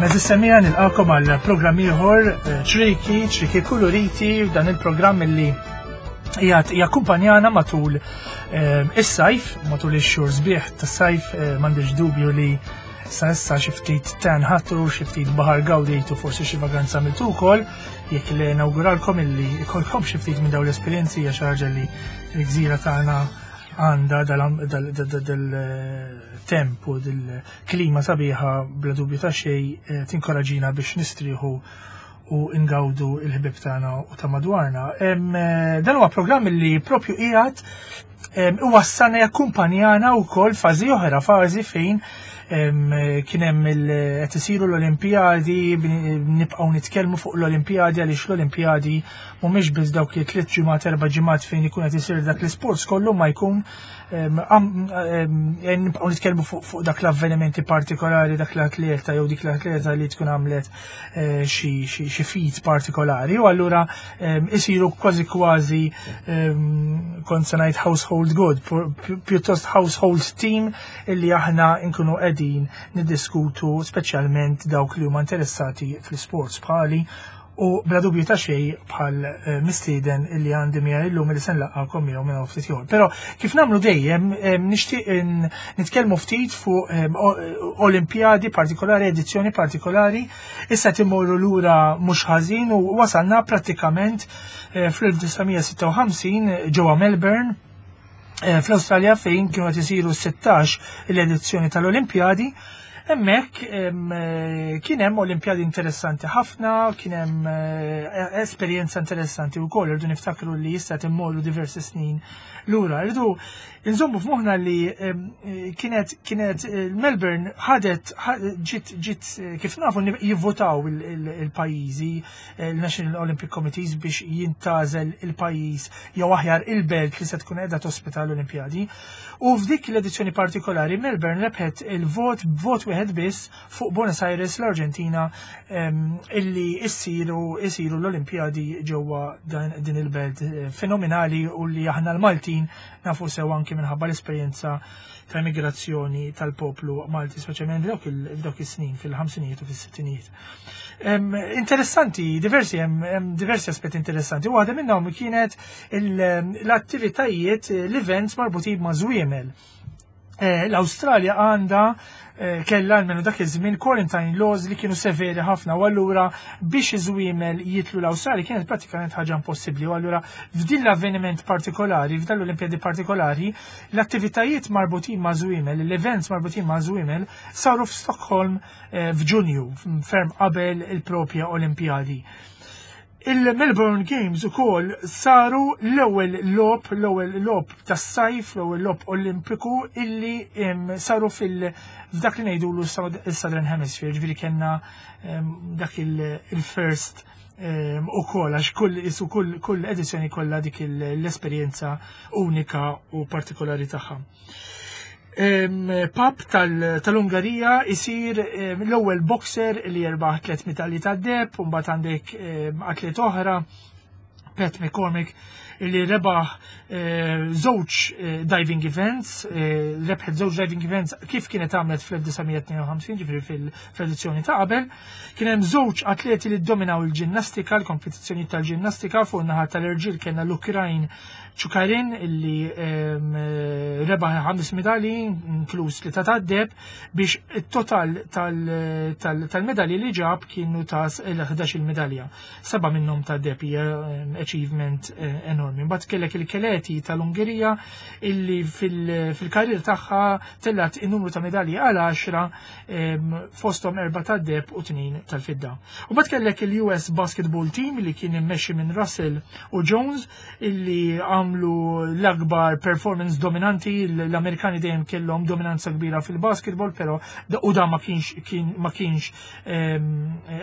Eżis semija nilqakom għal programm ieħor eh, ċriki, ċriki kuluriti, dan il-programm li jgħat jakkumpanjana matul eh, is-sajf, matul ix-xhur sbieħ tas-sajf, eh, m'għandix dubju li sa issa xi ftit tan ħatru, xi ftit baħar gawdejtu forsi xi vaganza għamiltu wkoll, jekk li nawguralkom illi ikolkom xi ftit minn dawn l-esperjenzi hija xi ħaġa li l-gżira tagħna għandha dal-temp u dil-klima sabiħa bla dubju ta' xejn eh, tinkoraġina biex nistrieħu u ngawdu il-ħbib tagħna u ta' madwarna. Eh, dan huwa programm li propju qiegħed iwassalna jakkumpanjana wkoll fażi oħra, fażi fejn kien hemm qed isiru l-Olimpijadi, nibqgħu nitkellmu fuq l-Olimpijadi għaliex l-Olimpijadi mhumiex biss dawk li tliet ġimgħat erba' ġimgħat fejn ikun qed isir dak l-isports kollu ma jkun nibqgħu nitkellmu fuq dak l-avvenimenti partikolari dak l-atleta jew dik l-atleta li tkun għamlet eh, xi feat partikolari u allura isiru kważi kważi kont se ngħid household good, pjuttost household team illi aħna nkunu qegħdin niddiskutu speċjalment dawk li huma interessati fl-sports bħali u bla dubju ta' xej bħal eh, mistieden illi għandi miegħi illum li se nlaqgħakom miegħu minn ftit ieħor. Però kif nagħmlu dejjem eh, nixtieq nitkellmu ftit fuq eh, Olimpjadi partikolari, edizzjoni partikolari, issa timorru lura mhux ħażin u wasalna prattikament fl-1956 ġewwa Melbourne fl-Awstralja fejn kienu qed isiru 16 l-edizzjoni tal-Olimpjadi. Hemmhekk eh, kien hemm Olimpjadi interessanti ħafna, kien hemm eh, esperjenza interessanti wkoll, irdu niftakru li jista' timmorru diversi snin lura. Irdu nżommu f'moħħna li eh, kienet kienet Melbourne ħadet ġiet ġiet kif nafu jivvotaw il-pajjiżi il-National Olympic Committees biex jintażel il-pajjiż jew aħjar il-belt li se tkun qiegħda tospita l-Olimpjadi. U f'dik l-edizzjoni partikolari Melbourne rebħet il-vot b'vot wieħed biss fuq Buenos Aires l-Arġentina illi issiru isiru l-Olimpjadi ġewwa din il-belt eh, fenomenali u li aħna l-Maltin nafu sew anki minħabba l-esperjenza ta' immigrazzjoni tal-poplu Malti, speċjalment f'dawk is-snin fil-ħamsinijiet u fis-sittinijiet. Interessanti, diversi, hemm diversi aspetti interessanti. Waħda minnhom kienet l-attivitajiet, l-events marbutin ma' żwiemel. Eh, L-Awstralja għandha eh, kellha almenu dak iż-żmien quarantine laws li kienu severi ħafna u allura biex iż-żwiemel jitlu l-Awstralja kienet pratikament ħaġa impossibbli u allura f'din l-avveniment partikolari, f'dan l-Olimpjadi partikolari, l-attivitajiet marbutin ma' żwiemel, l-events marbutin ma' żwiemel saru f'Stockholm Eh, f'Ġunju, ferm qabel il-propja Olimpjadi. Il-Melbourne Games ukoll saru l-ewwel logħob, l-ewwel logħob tas-sajf, l-ewwel logħob Olimpiku illi saru fil f'dak li ngħidulu s-Southern Hemisphere, ġifieri kellna dak il-first ukoll għax kull isu kull kull edizzjoni kollha dik l-esperjenza unika u partikolari tagħha. Pap tal-Ungarija isir l-ewwel boxer li jerbaħ tliet medalji tad-deheb, u mbagħad għandek atlet oħra, Pat McCormick, li rebaħ eh, żewġ eh, diving events, eh, rebħet żewġ diving events kif kienet għamlet fl-1952, ġifieri fil-edizzjoni ta' qabel. Kien hemm żewġ atleti li dominaw il-ġinnastika, l-kompetizzjoni tal-ġinnastika fuq naħa tal-irġiel kellna l-Ukrajn Ċukarin illi rebaħ ħames medalji, inkluż li ta' tad-deb, biex it-total tal-medalji li ġab kienu ta' l-11 medalja. Seba' minnhom ta' deb hija achievement eh, enormi. Mbagħad kellek il-Keleti tal-Ungerija illi fil-karrier tagħha tellat in-numru ta' medalji għal 10 fosthom erba' tad-deb u tnejn tal-fidda. U mbagħad kellek il-US Basketball Team li kien immexxi minn Russell u Jones illi għamlu l-akbar performance dominanti, l-Amerikani dejjem kellhom dominanza kbira fil-basketball, però u da ma kienx kien, ma kienx ehm,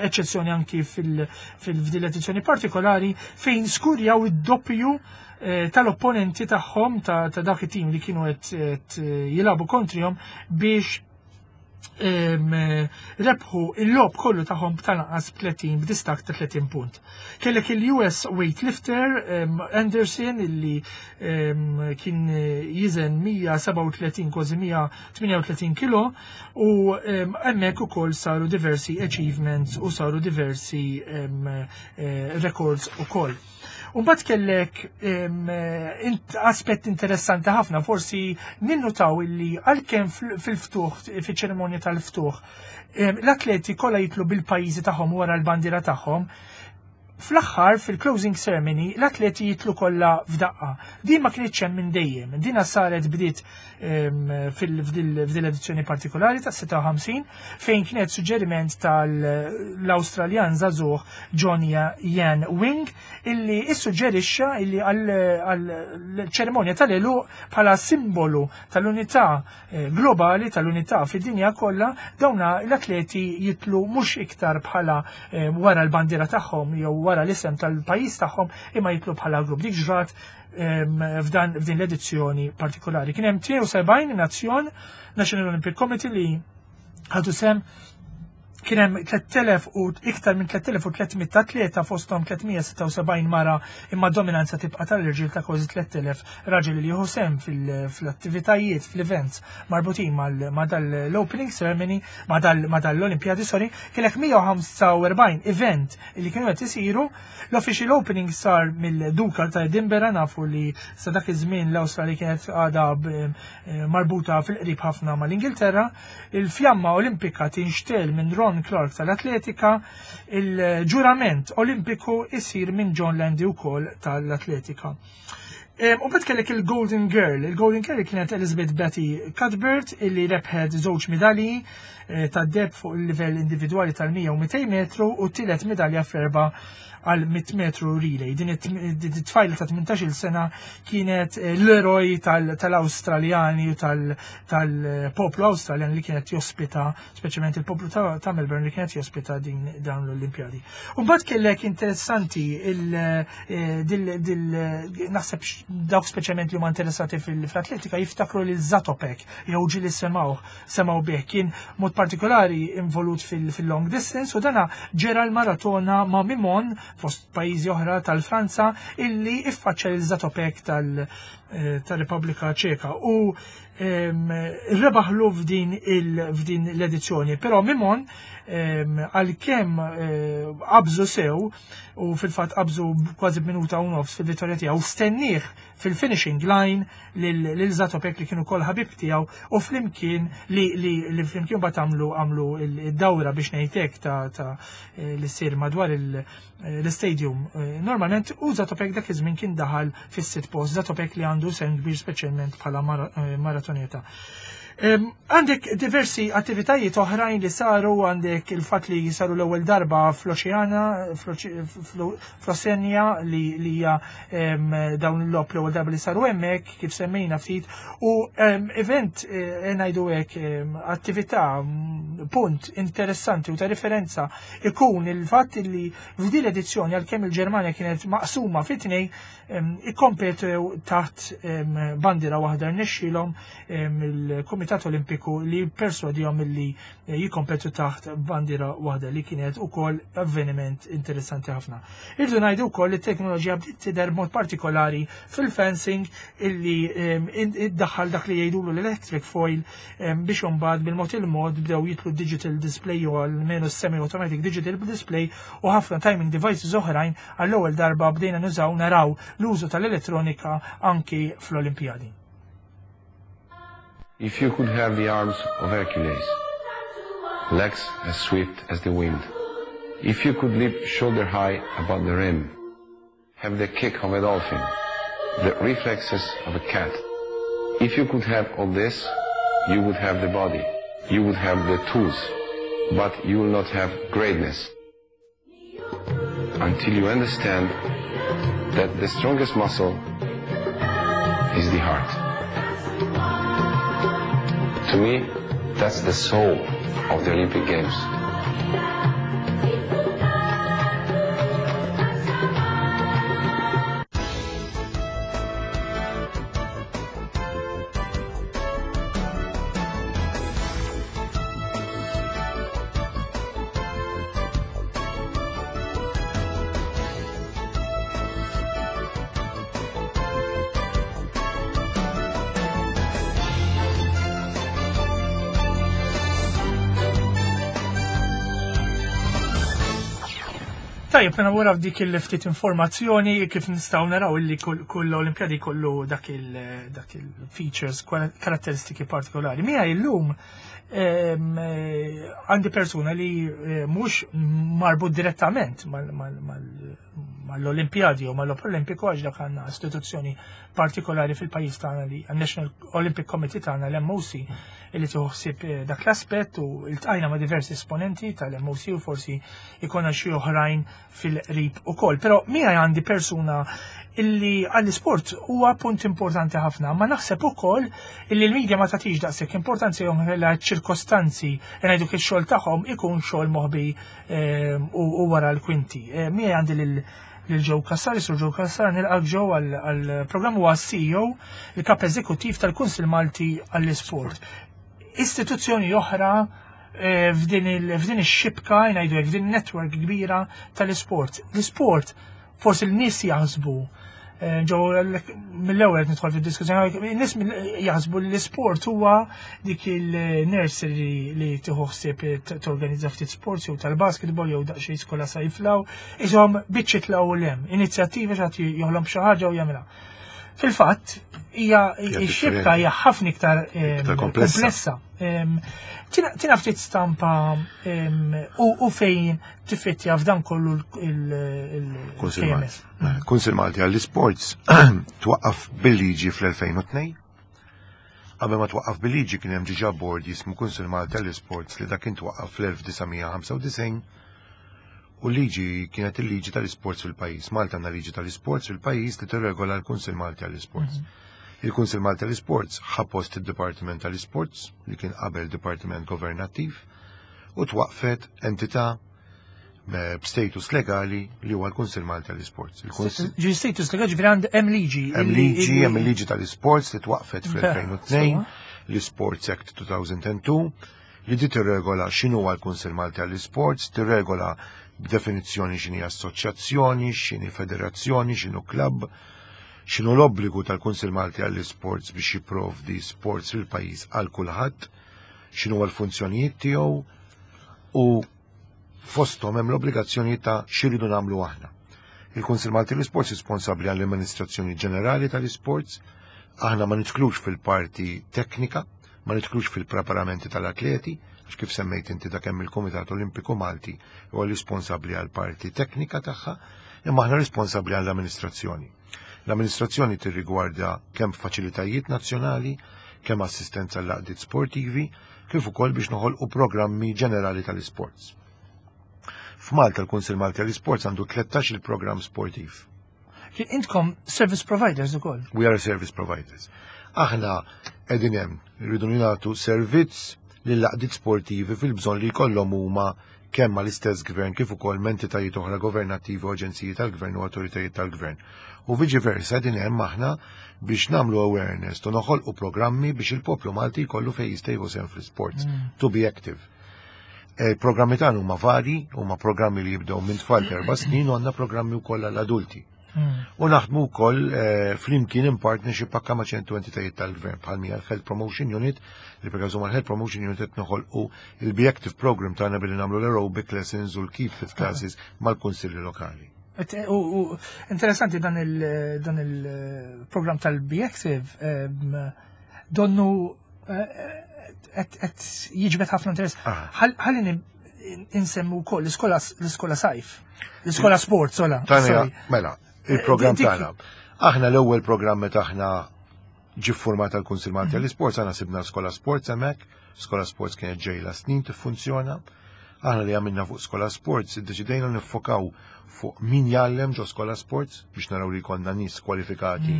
eċċezzjoni anki fil-fdil edizzjoni partikolari fejn skurjaw id-doppju eh, tal-opponenti tagħhom ta' dak it-tim li kienu qed jilagħbu kontrihom biex Rebħu il-logħob kollu tagħhom b'tal-anqas 30 b'distakk ta' 30 punt. Kellek il-US weightlifter Anderson illi kien jiżen 137 kważi 138 kilo u hemmhekk ukoll saru diversi achievements u saru diversi records ukoll. Umbat kellek aspett interessanti ħafna, forsi ninnutaw illi għalkemm fil-ftuħ, fil-ċerimonja tal-ftuħ, l-atleti kollha jitlu bil-pajjiżi tagħhom wara l-bandiera tagħhom, fl-aħħar fil-closing ceremony l-atleti jitlu kollha f'daqqa. Din ma kienx hemm minn dejjem. Dina saret bdiet f'din l-edizzjoni partikolari ta' 56 fejn kienet suġġeriment tal-Awstraljan żagħżugħ John Yan Wing illi issuġġerixxa illi għal-ċerimonja tal-għeluq bħala simbolu tal-unità globali tal-unità fid-dinja kollha dawna l-atleti jitlu mhux iktar bħala wara l-bandiera tagħhom jew wara l-isem tal-pajjiż tagħhom imma jitlu bħala grupp. Dik ġrat f'dan f'din l-edizzjoni partikolari. Kien hemm 72 nazzjon National Olympic Committee li ħadu sem. Kien hemm 3000 u iktar minn 3300 atleta, fosthom 376 mara, imma dominanza tibqa' tal-irġiel ta' kważi 3000 raġel li jieħu sem fl-attivitajiet, fl-events marbutin ma' dal-opening ceremony, ma' dal-Olimpjadi, sorry. Kellek 145 event li kienu qed isiru. L-official opening sar mill-Duka ta' Edinburgh. Nafu li sa dak iż-żmien l-Awstralja kienet għadha marbuta fil-qrib ħafna mal-Ingilterra. Il-fjamma Olimpika tinxtel minn Ron Clark tal-Atletika, il-ġurament Olimpiku isir minn John Landy wkoll tal-Atletika. U bet kellek il-Golden Girl. Il-Golden Girl kienet Elizabeth Betty Cuthbert illi rebħet żewġ medalji tad-deheb fuq il-livell individwali tal-100 u 200 metru u tielet medalja fl-erba' għal 100 metru relay. Din it-tfajla ta' 18 sena kienet l-eroj tal-Awstraljani u tal-poplu Awstraljan li kienet jospita, speċjalment il-poplu ta' Melbourne li kienet jospita din dawn l-Olimpjadi. U mbagħad kellek interessanti naħseb dawk speċjalment li huma interessati fil-atletika jiftakru lil Zatopek jew ġieli semgħu bih, kien mod partikolari involut fil-long distance u dana ġera l-maratona ma' Mimon fost pajjiżi oħra tal-Franza illi iffaċċja lil Zatopek tal-Repubblika Ċeka u rebaħlu f'din l-edizzjoni. Però Mimon, għalkemm qabżu sew u fil-fatt qabżu kważi b'minuta u nofs fil-vittorja tiegħu, stennieh fil-finishing line lil Zatopek li kienu kol ħabib tiegħu u flimkien li flimkien bat għamlu id-dawra biex ngħidlek ta' li ssir madwar l-stadium. Normalment u Zatopek dak iż-żmien kien daħal fis-sitt post, Zatopek li għandu sem kbir speċjalment bħala maratoneta. Għandek diversi attivitajiet oħrajn li saru, għandek il-fat li saru l-ewwel darba fl-Oċeana, fl-Osenja li hija dawn il-logħob l-ewwel darba li saru hemmhekk kif semmejna ftit u event ngħidu hekk attività punt interessanti u ta' referenza ikun il-fatt li f'din l-edizzjoni, għalkemm il-Ġermanja kienet maqsuma fi tnej, ikkompetew taħt bandiera waħda. Rnexxielhom il-Kumitat Olimpiku li perswadihom li jikkompetu taħt bandiera waħda li kienet ukoll avveniment interessanti ħafna. Irdu ngħidu wkoll li t-teknoloġija bdiet tidher mod partikolari fil-fencing illi iddaħħal dak li jgħidulu l-electric foil biex imbagħad bil-mod il-mod bdew jitlu digital display u almenu semi-automatic digital display u ħafna timing devices oħrajn. Għall-ewwel darba bdejna nużaw, naraw l-użu tal-elettronika anki fl-Olimpjadi. If you could have the arms of Hercules, legs as swift as the wind, if you could leap shoulder high above the rim, have the kick of a dolphin, the reflexes of a cat, if you could have all this, you would have the body, you would have the tools, but you will not have greatness until you understand that the strongest muscle is the heart. To me, that's the soul of the Olympic Games. Tajjeb, mela wara dik il-ftit informazzjoni kif nistgħu naraw illi kull Olimpjadi kollu dak il-features, karatteristiki partikolari. Mija illum għandi persuna li mhux marbut direttament mal-Olimpjadi u mal-Olimpiku għax dak għandna istituzzjoni partikolari fil-pajjiż tagħna li National Olympic Committee tagħna l-MOC li tieħu ħsieb dak l-aspett u iltqajna ma' diversi esponenti tal-MOC u forsi ikonna xi oħrajn fil-qrib ukoll. Però miegħi għandi persuna illi għall-isport huwa punt importanti ħafna, ma naħseb ukoll illi l-medja ma tagħtix daqshekk importanza jew kellha ċirkostanzi ngħidu kif xogħol tagħhom ikun xogħol moħbi u wara l-kwinti. Miegħi għandi lil lil Joe Cassar, Sur Joe Cassar, nilqak Joe għal-programm huwa CEO, il-kap eżekuttiv tal-Kunsil Malti għall-Isport. Istituzzjoni oħra f'din ix-xibka, ngħidu hekk, f'din network kbira tal-isport. L-isport forsi l-nies jaħsbu ġo mill-ewwel nidħol fid-diskussjoni, n-nies jaħsbu li l-isport huwa dik il-nursery li tieħu ħsieb torganizza ftit sports jew tal-basketball jew daqsxejn skola sajflaw, iżhom biċċiet law u lem, inizjattiva xi joħlom xi ħaġa u jagħmilha. Fil-fatt, hija x-xibka hija ħafna iktar komplessa. Tina ftit stampa u fejn tifittja f'dan kollu il-KMS. Kunsil Malti għall-Sports twaqqaf bil-liġi fl-2002. Qabel ma twaqqaf bil-liġi kien hemm diġà board jismu Kunsil Malti għall-Sports li dak kien twaqqaf fl-1995 u l-liġi kienet il-liġi tal-isports fil-pajjiż. Malta għandna liġi tal-isports fil-pajjiż li tirregola l-Kunsil Malti għall-Isports. Il-Kunsil Malti għall-Isports ħa post id-Dipartiment tal-Isports li kien qabel Dipartiment Governattiv u twaqfet entità b'status legali li huwa l-Kunsil Malti għall-Isports. Ġi status legali ġifieri għand hemm liġi. Hemm liġi, hemm il-liġi tal-isports li twaqfet fl-2002, l-Sports Act 2002, li di tirregola x'inhu l-Kunsil Malti għall-Isports, tirregola b'definizzjoni x'inhi assoċjazzjoni, x'inhi federazzjoni, x'inhu klabb, x'inhu l-obbligu tal-Kunsil Malti għall-Isports biex jipprovdi sports fil-pajjiż għal kulħadd, x'inhu l-funzjonijiet tiegħu u fosthom hemm l-obbligazzjoni ta' x'iridu nagħmlu aħna. Il-Kunsil Malti l-Isports responsabbli għall-amministrazzjoni ġenerali tal-isports, aħna ma nidħlux fil-parti teknika, ma nidħlux fil-preparamenti tal-atleti, għax kif semmejt inti dak hemm il-Kumitat Olimpiku Malti huwa responsabbli għal parti teknika tagħha, imma aħna responsabbli għall-amministrazzjoni. L-amministrazzjoni tirrigwarda kemm faċilitajiet nazzjonali, kemm assistenza l-għaqdiet sportivi, kif ukoll biex noħolqu programmi ġenerali tal-isports. F'Malta l-Kunsil Malti għall-Isports għandu 13 il-programm sportiv. Intkom service providers ukoll. We are service providers. Aħna qegħdin hemm rridu nagħtu servizz lil għaqdiet sportivi fil-bżonn li jkollhom huma kemm mal-istess gvern kif ukoll entitajiet oħra governattivi u aġenziji tal-gvern u awtoritajiet tal-gvern. U viċi versa din hemm aħna biex nagħmlu awareness u noħolqu programmi biex il-poplu Malti jkollu fejn jista' jieħu sehem fl-sports to be active. Il-programmi tagħna huma vari, huma programmi li jibdew minn tfal 4 snin u għandna programmi wkoll għall-adulti. U naħdmu wkoll flimkien in partnership anke ma' ċertu entitajiet tal-gvern bħal mija l-Health Promotion Unit li per każu mal-Health Promotion Unit qed noħolqu il-Be Active Program tagħna billi nagħmlu l-aerobic lessons u l-keep fit classes mal-kunsilli lokali. U interessanti dan il-program tal-Be Active donnu qed jiġbed ħafna interess. Ħalli insemmu wkoll l-iskola sajf, l-iskola sport, sola. Mela, il-program tagħna. Aħna l-ewwel programm meta aħna ġi format tal-Kunsil Malti għall-Isports, aħna sibna skola sports hemmhekk, skola sports kienet ġejla snin tiffunzjona. Aħna li għamilna fuq skola sports, iddeċidejna nifokaw fuq min jgħallem ġo skola sports biex naraw li jkollna nies kwalifikati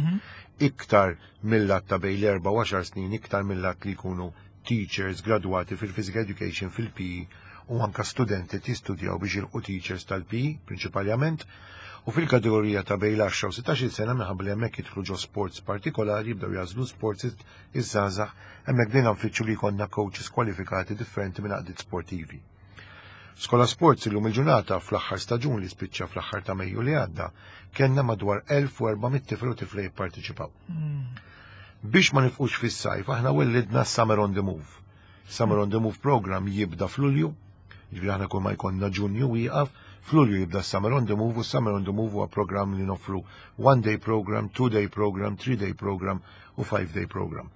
iktar mill-lat ta' bejn l-4 u 10 snin, iktar mill-lat li jkunu teachers gradwati fil-physical education, fil-PE u anka studenti tistudjaw biex jilqu teachers tal-PE prinċipalment. U fil-kategorija ta' bejn l-10 u 16 sena, minħabba li hemmhekk jidħlu ġo sports partikolari, jibdew jagħżlu sports iż-żgħażagħ, hemmhekk bdejna nfittxu li jkollna coaches kwalifikati differenti minn għaqdiet sportivi. Skola Sports illum il-ġurnata, fl-aħħar staġun li spiċċa fl-aħħar ta' Mejju li għadda, kellna madwar 1400 tifel u tifla jipparteċipaw. Biex ma nifqux fis-sajf, aħna wellidna Summer on the Move. Summer on the Move program jibda f'Lulju, ġifieri aħna kull ma jkollna Ġunju wieqaf, F'Lulju jibda Summer on the Move u Summer on the Move huwa programm li noffru one day program, two day program, three day program u five day program.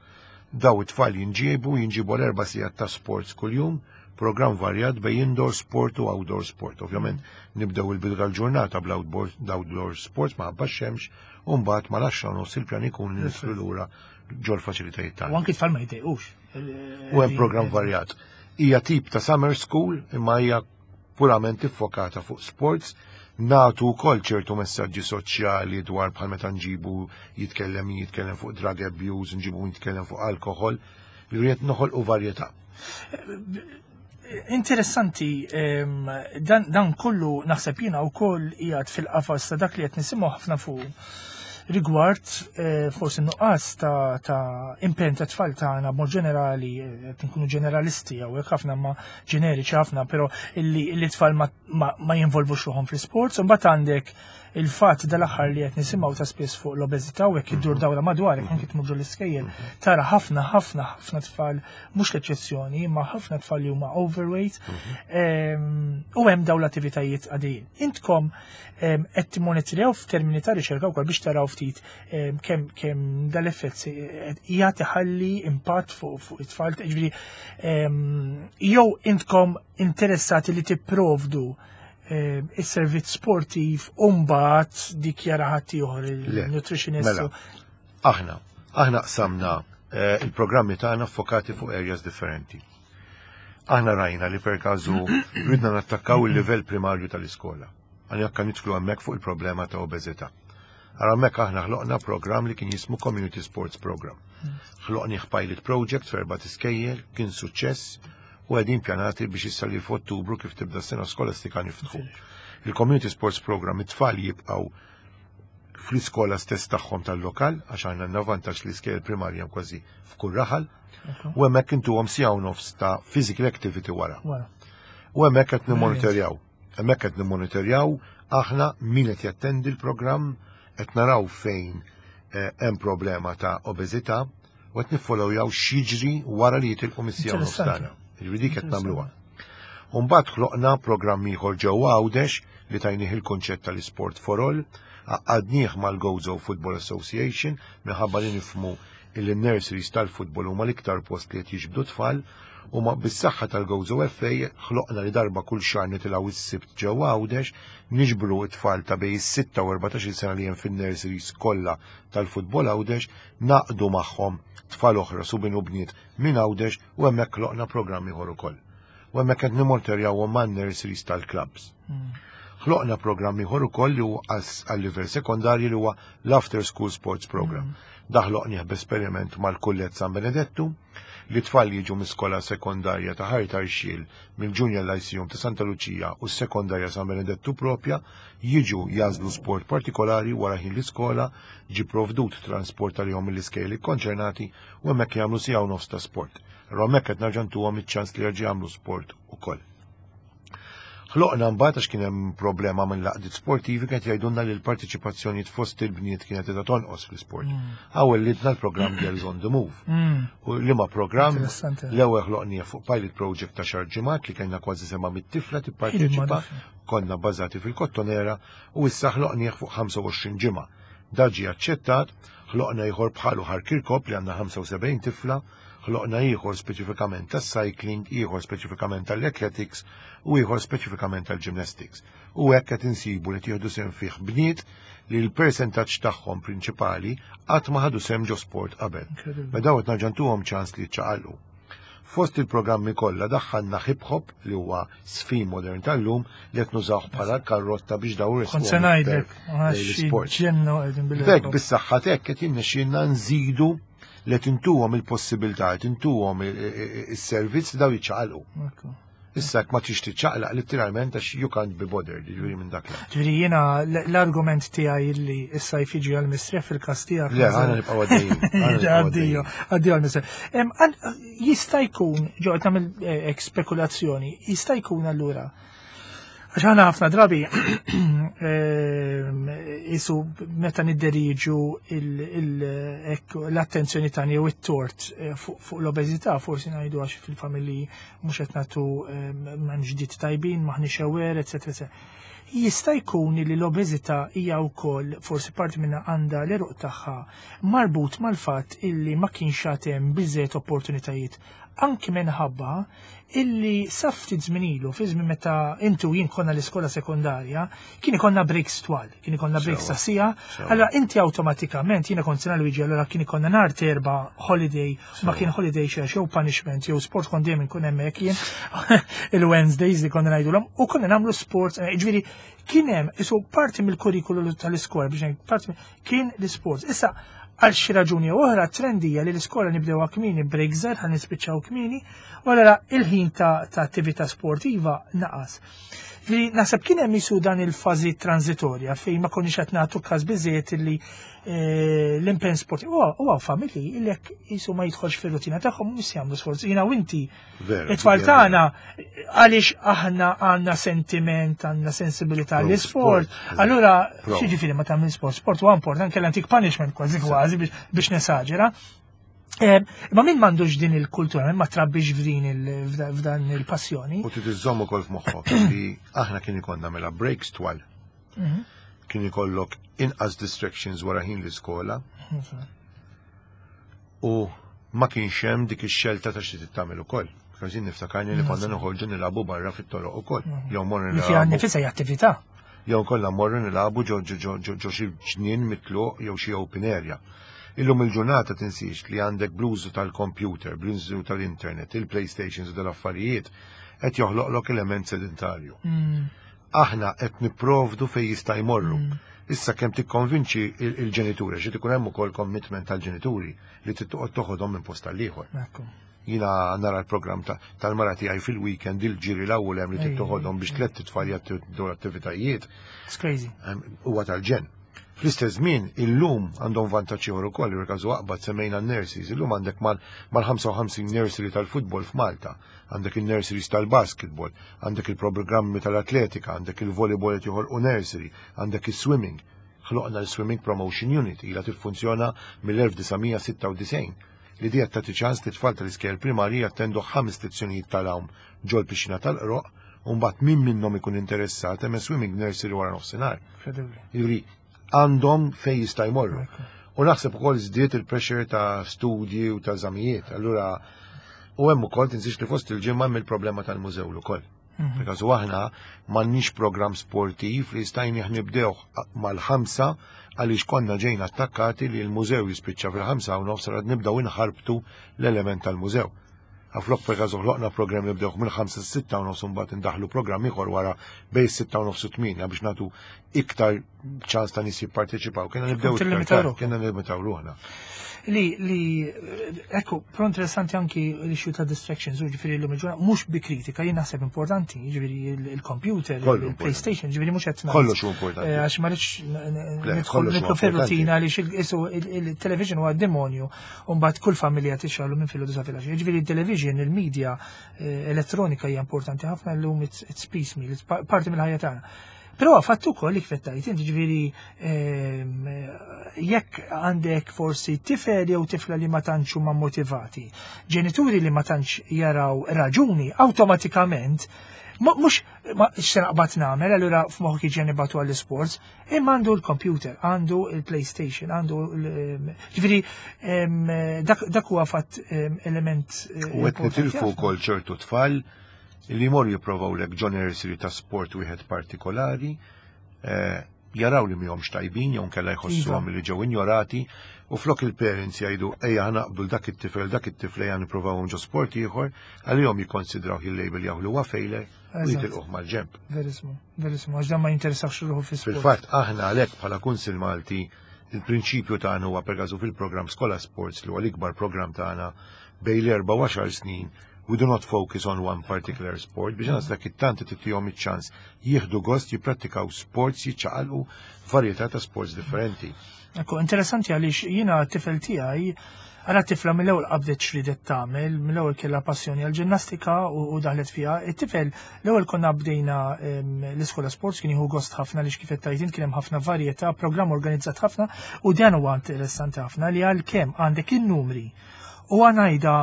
Daw it-tfal jinġiebu għal 4 sigħat ta' sports kuljum, program varjat bej indoor sport u outdoor sport. Ovvjament nibdew il-bidu tal-ġurnata bl-outdoor sports minħabba xemx u mbagħad mal-10:30 il-pjan ikun li nidħlu lura ġol-faċilitajiet U tagħna. anki tfal ma jtejqux. U hemm program varjat. Hija tip ta' summer school imma hija purament iffokata fuq sports, nagħtu wkoll ċertu messaġġi soċjali dwar bħal meta nġibu jitkellem fuq drug abuse, nġibu jitkellem fuq alkohol, li rrid noħolqu varjetà. Interessanti, dan kollu naħseb jiena wkoll qiegħed fil-qafas ta' dak li qed nisimgħu ħafna fuq rigward forsi nuqqas ta' impenn ta' tfal tagħna b'mod ġenerali, qed nkunu ġeneralisti hawnhekk ħafna ma ġeneriċi ħafna, però illi tfal ma jinvolvux ruħhom fl-sports, u mbagħad għandek il-fatt dal-aħħar li qed nisimgħu ta' spiss fuq l-obeżità u hekk iddur dawra madwarek anke tmur l-iskejjel tara ħafna ħafna ħafna tfal, mhux l-eċċezzjoni, imma ħafna tfal li huma overweight u hemm dawn l-attivitajiet għaddejjin. Intkom qed timmonitorjaw f'termini ta' riċerka wkoll biex taraw ftit kemm dal-effett jagħti ħalli impatt fuq it-tfal, ġifieri jew intkom interessati li tipprovdu is-servizz sportiv u mbagħad dikjara ħadd ieħor il-nutritionist. Mela, aħna qsamna il-programmi tagħna fokati fuq areas differenti. Aħna rajna li per każu ridna nattakkaw il-livell primarju tal-iskola. Għan jekk nidħlu hemmhekk fuq il-problema ta' obeżità. Ara hemmhekk aħna ħloqna program li kien jismu Community Sports Program. Ħloqni pilot project f'erba' iskejjel, kien suċċess u qegħdin pjanati biex issa li f'Ottubru kif tibda s-sena skolastika niftħu. Il-Community Sports Program, it-tfal jibqgħu fl-iskola stess tagħhom tal-lokal, għax għandna vantaġġ li skejjel primarja kważi f'kull raħal, u hemmhekk intuhom siegħa u nofs ta' physical activity wara. U hemmhekk qed nimmonitorjaw. Hemmhekk qed nimmonitorjaw aħna min qed jattendi l-programm, qed naraw fejn hemm problema ta' obeżità u qed niffollowjaw x'jiġri wara li jitilqu mis-siegħa u nofs tagħna. Ġifieri dik qed nagħmluha. U mbagħad ħloqna programm ieħor ġewwa Għawdex li tajnih il-konċett tal-Sport for All, għaqqadnieh mal-Gozo Football Association minħabba li nifhmu il-nurseries tal-futbol huma l-iktar post li qed jiġbdu tfal, u ma bis-saħħa tal-Gozo FA ħloqna li darba kull xahar nitilgħu is-Sibt ġewwa Għawdex niġbru t-tfal ta' bejn is-6 u 14 sena li hemm fin-nurseries kollha tal-futbol Għawdex, naqdu magħhom tfal oħra subien u bniet minn Għawdex u hemmhekk ħloqna programm ieħor ukoll. U hemmhekk qed nimonitorjawhom man-nurseries tal-clubs. Ħloqna programm ieħor ukoll li huwa għal-livell sekondarju li huwa l-After School Sports Program. Dan ħloqnieh b'esperiment mal-Kulleġġ San Benedettu li tfal jiġu mis-skola sekondarja ta' Ħal Tarxien, mill-Junior Lyceum ta' Santa Lucia u s-sekondarja San Benedettu propja, jiġu jagħżlu sport partikolari wara ħin l-iskola, ġi provdut transport għalihom mill-iskejjel konċernati u hemmhekk jagħmlu siegħa u nofs ta' sport. Allura hemmhekk qed nerġa' ntuhom iċ-ċans li jerġgħu jagħmlu sport ukoll. Ħloqna mbagħad għax kien hemm problema minn l-għaqdiet sportivi kienet jgħidulna li l-partiċipazzjoni fost il-bniet kienet qiegħda tonqos fl-isport. Għawellidna l-programm Girls on the Move. U liema programm l-ewwel ħloqnieh fuq pilot project ta' xahar ġimgħat li kellna kważi 700 tifla tipparteċipa, konna bbażati fil-Kottonera u issa ħloqnieh fuq 25 ġimgħa. Dan ġie aċċettat, ħloqna ieħor bħalu Ħal Kirkop li għandna 75 tifla, ħloqna ieħor speċifikament tas-cycling, ieħor speċifikament tal-athletics u ieħor speċifikament tal-gymnastics. U hekk qed insibu li tieħdu sehem fih bniet li l-persentaġġ tagħhom prinċipali qatt ma ħadu sehem ġo sport qabel. Ma daw qed nerġa' ntuhom ċans li jiċċaqalqu. Fost il-programmi kollha daħħalna hip hop li huwa żfin modern tal-lum li qed nużawh bħala karrotta biex daw Kont se ngħidlek, l-sport. ġennu qegħdin bil B'hekk bis-saħħa t'hekk qed jirnexxielna nżidu li tintuhom il-possibilità, tintuhom is-servizz daw jiċċaqalqu. Issa ma tix tiċċaqlaq letteralment għax you can't be bothered, ġifieri minn dak. Ġifieri jiena l-argument tiegħi li issa jfiġi għal-mistrieħ fil-każ tiegħek. Le, aħna nibqgħu għaddejjin. Addio, addio għal-mistrieħ. Jista' jkun, ġo qed nagħmel spekulazzjoni, jista' jkun allura Għax aħna ħafna drabi isu meta nidderiġu l-attenzjoni tagħna jew it-tort fuq l-obeżità, forsi ngħidu għax fil-familji mhux qed nagħtu m'hemmx diet tajbin, m'aħniex aware, eċetera, eċetera. Jista' jkun li l-obeżità hija wkoll forsi parti minnha għandha l-għeruq tagħha marbut mal-fatt illi ma kienx għad hemm biżżejjed opportunitajiet anki minħabba illi sa ftit żmien ilu, fi żmien meta inti u jien konna l-iskola sekondarja, kien ikollna breaks twal, kien ikollna breaks ta' siegħa, allura inti awtomatikament, jiena kont Sena Luigi, allura kien ikollna nhar t'Erbgħa holiday, ma kien holiday xi jew punishment jew sport kont dejjem inkun hemmhekk jien il-Wednesdays li konna ngħidulhom u konna nagħmlu sport, eh, ġifieri kien hemm isu parti mill-kurrikulu tal-iskola biex parti kien l-isport. Issa għal xi raġuni jew oħra trend hija li l-iskola nibdewha kmieni break żgħar ħa nispiċċaw kmieni, u allura il-ħin ta', ta attività sportiva naqas. Li naħseb kien hemm isu dan il-fażi transitorja fejn ma konniex qed nagħtu każ biżejjed li eh, l-impenn sportiv. Huwa familji li jekk jisu ma jidħolx fir-rutina tagħhom mhux jagħmlu sforz. Jiena u inti It-tfal tagħna għaliex aħna għandna sentiment, għandna sensibilità l-isport. Allura, xi ma tagħmel sport, sport huwa important, kellha antik punishment kważi kważi biex nesaġera. Eh, ma min m'għandux din il-kultura, min ma trabbix f'din f'dan il-passjoni. U trid iżżomm ukoll f'moħħok li aħna kien ikollna mela breaks twal. Mhm. Kien ikollok inqas distractions wara ħin l-iskola. Mhm. U ma kienx hemm dik ix-xelta ta' xi trid tagħmel ukoll. Because jien niftakarni li konna noħorġu nilagħbu barra fit-toroq ukoll. Mhm. Jew morru nilagħbu. Li fiha nifisha hija attività. Jew kollha morru nilagħbu ġo ġo ġo xi ġnien mitluq jew xi open area. Illum il-ġurnata tinsiex li għandek bl-użu tal-computer, bl-użu tal-internet, il-PlayStations u dal-affarijiet qed joħloqlok element sedentarju. Mm. Aħna qed nipprovdu fejn jista' jmorru. Mm. Issa kemm tikkonvinċi il-ġenituri, xi ikun hemm ukoll commitment tal-ġenituri li trid toqgħod toħodhom minn post tal-ieħor. Jina nara l-programm tal-mara tiegħi fil-weekend il-ġiri l-ewwel hemm li trid toħodhom biex tliet titfal jagħtu l-attivitajiet. It's crazy. Huwa tal-ġenn. Fl-istess żmien, illum għandhom vantaġġ ieħor ukoll, il-każu aqbad semmejna n-nurseries, illum għandek mal-55 nursery tal-futbol f'Malta għandek il-nurseries tal-basketball, għandek il-programmi tal-atletika, għandek il-volleyball qed joħolqu nursery, għandek is-swimming. Ħloqna l-Swimming Promotion Unit ilha tiffunzjona mill-1996 li di qed tagħti ċans li tfal tal-iskejjel primarji jattendu ħames lezzjonijiet tal-għawm ġol-pixxina tal-Qroqq u mbagħad min minnhom ikun interessat hemm swimming nursery wara nofsinhar. Jiġifieri għandhom fejn jista' jmorru. U naħseb ukoll żdied il-pressure ta' studji u ta' żamijiet. Allura u hemm ukoll tinsiex li fost il-ġimgħa hemm il-problema tal-mużew ukoll. Mhm. Because aħna m'għandniex programm sportiv li stajni nibdew mal-ħamsa għaliex konna ġejna attakkati li l-mużew jispiċċa fil-5:30 rad nibdew inħarbtu l-element tal-mużew. Għaflok per każ ħloqna programm li bdewh mill-5 6:30 mbagħad indaħlu programm ieħor wara bejn 6:30 u 8 biex nagħtu iktar ċans ta' nies jipparteċipaw. Kiena nibdew kiena nlimitaw ruħna. Li, li, ekku, pro interessanti anki l-issue ta' distractions, u ġifiri l-lum il-ġurnata, mux bi kritika, jien naħseb importanti, ġifiri il-computer, il-PlayStation, ġifiri mux għetna. Kollox u importanti. Eh, għax ma rridx nidħol fil-rutina li il-television huwa demonju, u mbagħad kull familja tixgħalu minn filgħodu sa filgħaxija. Jiġifieri il-television, il-media eh, elettronika hija importanti ħafna llum it's piecemeal, it's parti mill-ħajja tagħna. Però fatt ukoll li kif tgħid inti ġifieri ehm, jekk għandek forsi tifel jew tifla li ma tantx huma motivati, ġenituri li ma tantx jaraw raġuni, awtomatikament mhux x'se naqbad nagħmel, allura f'moħħok jiġi nibgħatu għall-isports, Imma għandu l-computer, għandu il-PlayStation, għandu ġifieri dak huwa fatt element. Eh, U qed nitilfu wkoll ċertu tfal li jmorru jipprovaw lek ġo nursery ta' sport wieħed partikolari, eh, jaraw li mihomx tajbin jew nkella jħossuhom iva. li ġew injorati u flok il-parents jgħidu ejja ħnaqbdu dak it-tifel dak it-tifel ejja nipprovawhom ġo sport ieħor għalihom jikkonsidraw il-label jew li huwa failure u jitilquh mal-ġemp. Verismu. Verissimo, għax dan ma jinteressax ruħu fi sport. Fil-fatt, aħna għalhekk bħala Kunsill Malti, il-prinċipju tagħna huwa per każu fil-programm Skola Sports li huwa l-ikbar programm tagħna bejn l-erba' u għaxar snin, we do not focus on one particular sport biex għas dak it-tant titihom iċ-ċans jieħdu gost jipprattikaw sports jiċċaqalqu varjetà ta' sports differenti. Ekku, interessanti għaliex jiena t-tifel tiegħi Ara tifla mill-ewwel qabdet x'ridet tagħmel, mill-ewwel kellha passjoni għal ġinnastika u daħlet fiha. It-tifel l-ewwel konna bdejna l-iskola sports kien jieħu gost ħafna li kif qed tgħid kien hemm ħafna varjetà, programm organizzat ħafna u dan huwa interessanti ħafna li għalkemm għandek in-numri u għanajda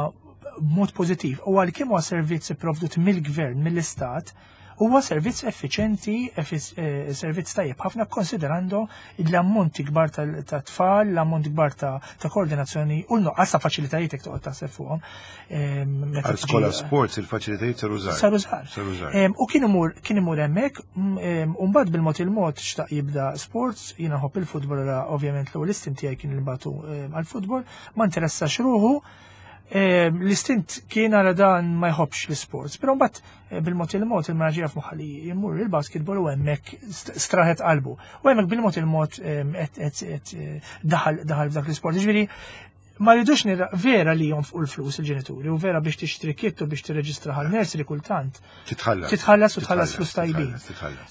b'mod pożittiv u għalkemm huwa servizz ipprovdut mill-gvern, mill-istat, Huwa servizz effiċenti, eh, servizz tajjeb ħafna konsiderando l-ammonti kbar ta' tfal, l-ammont kbar ta' koordinazzjoni u l-nuqqas ta' faċilitajiet jekk toqgħod taħseb fuqhom. Ehm, Għal skola sports il-faċilitajiet saru żgħar. Saru żgħar. Ehm, u kien imur kien imur hemmhekk, mm, ehm, u mbagħad bil-mod il-mod xtaq jibda sports, jiena nħobb il-futbol ovvjament l-ewwel istint tiegħi kien il-batu għall-futbol, ma interessax ruħu. L-istint kien għara dan ma jħobbx l-sports, pero mbagħad eh, bil-mod il-mod il-manager jaf moħħa li jmur il-basketball u hemmhekk straħet qalbu. U hemmhekk bil-mod il-mod eh, daħal daħal f'dak l-isport. Ġifieri ma rridux nira vera li jonfqu l-flus il-ġenituri u vera biex tixtri kit u biex tirreġistra għal nursery kultant. Titħallas. Titħallas u tħallas flus tajbin.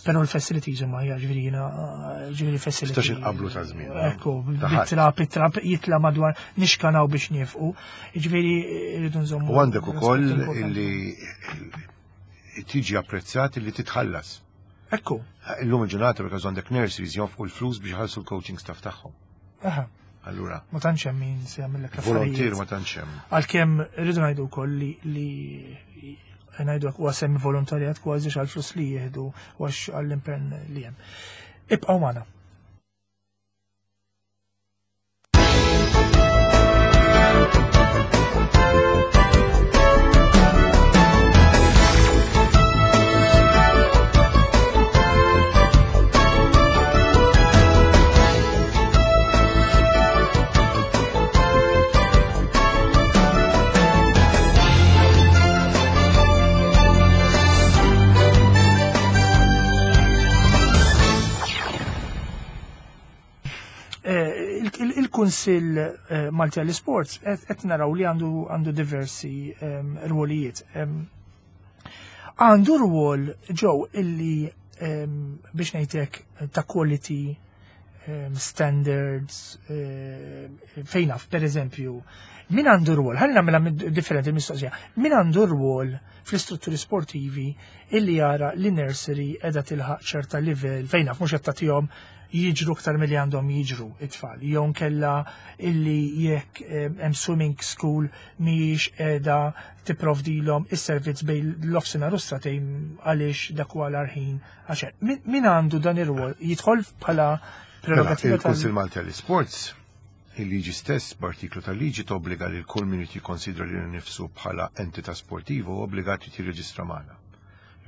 Però l-facilities huma hija ġifieri jiena ġifieri facilities. Tistax inqablu ta' żmien. Ekku, bit-trab, it-trab jitla madwar nixkanaw biex nifqu. Ġifieri rridu nżommu. U għandek ukoll illi tiġi apprezzat illi titħallas. Ekku. Illum il-ġurnata because għandek nurseries jonfqu l-flus biex ħalsu l-coaching staff tagħhom. Aha. Allura. Ma tantx hemm min se jagħmellek affarijiet. Volontier ma tantx hemm. Għalkemm irridu ngħidu wkoll li li ngħidu huwa semmi volontarjat kważi għal flus li jieħdu u għax għall-impenn li hemm. Ibqgħu magħna. Eh, il-Kunsill eh, Malti għall-Sports qed naraw li għandu diversi ehm, rwolijiet. Ehm, għandu rwol ġew illi ehm, biex ngħidlek ta' quality standards fejn naf, per eżempju, min għandu rwol, ħalli nagħmilha differenti mistoqsija, min għandu rwol fl-istrutturi sportivi illi jara li nursery qiegħda tilħaq ċerta livell fejn naf mhux qed tagħtihom jiġru aktar milli għandhom jiġru it-tfal. Jew nkella illi jekk hemm swimming school mhijiex qiegħda tipprovdilhom is-servizz bejn l-offsinhar u s-satejn għaliex dak huwa l-ħin għax min għandu dan ir-rwol jidħol bħala mela, prerogativa Il-Kunsill Malti għall-Isports il-liġi stess b'artiklu tal-liġi tobbliga lil kull min irid jikkonsidra lilu nnifsu bħala entità sportiva u obbligat jirreġistra magħna.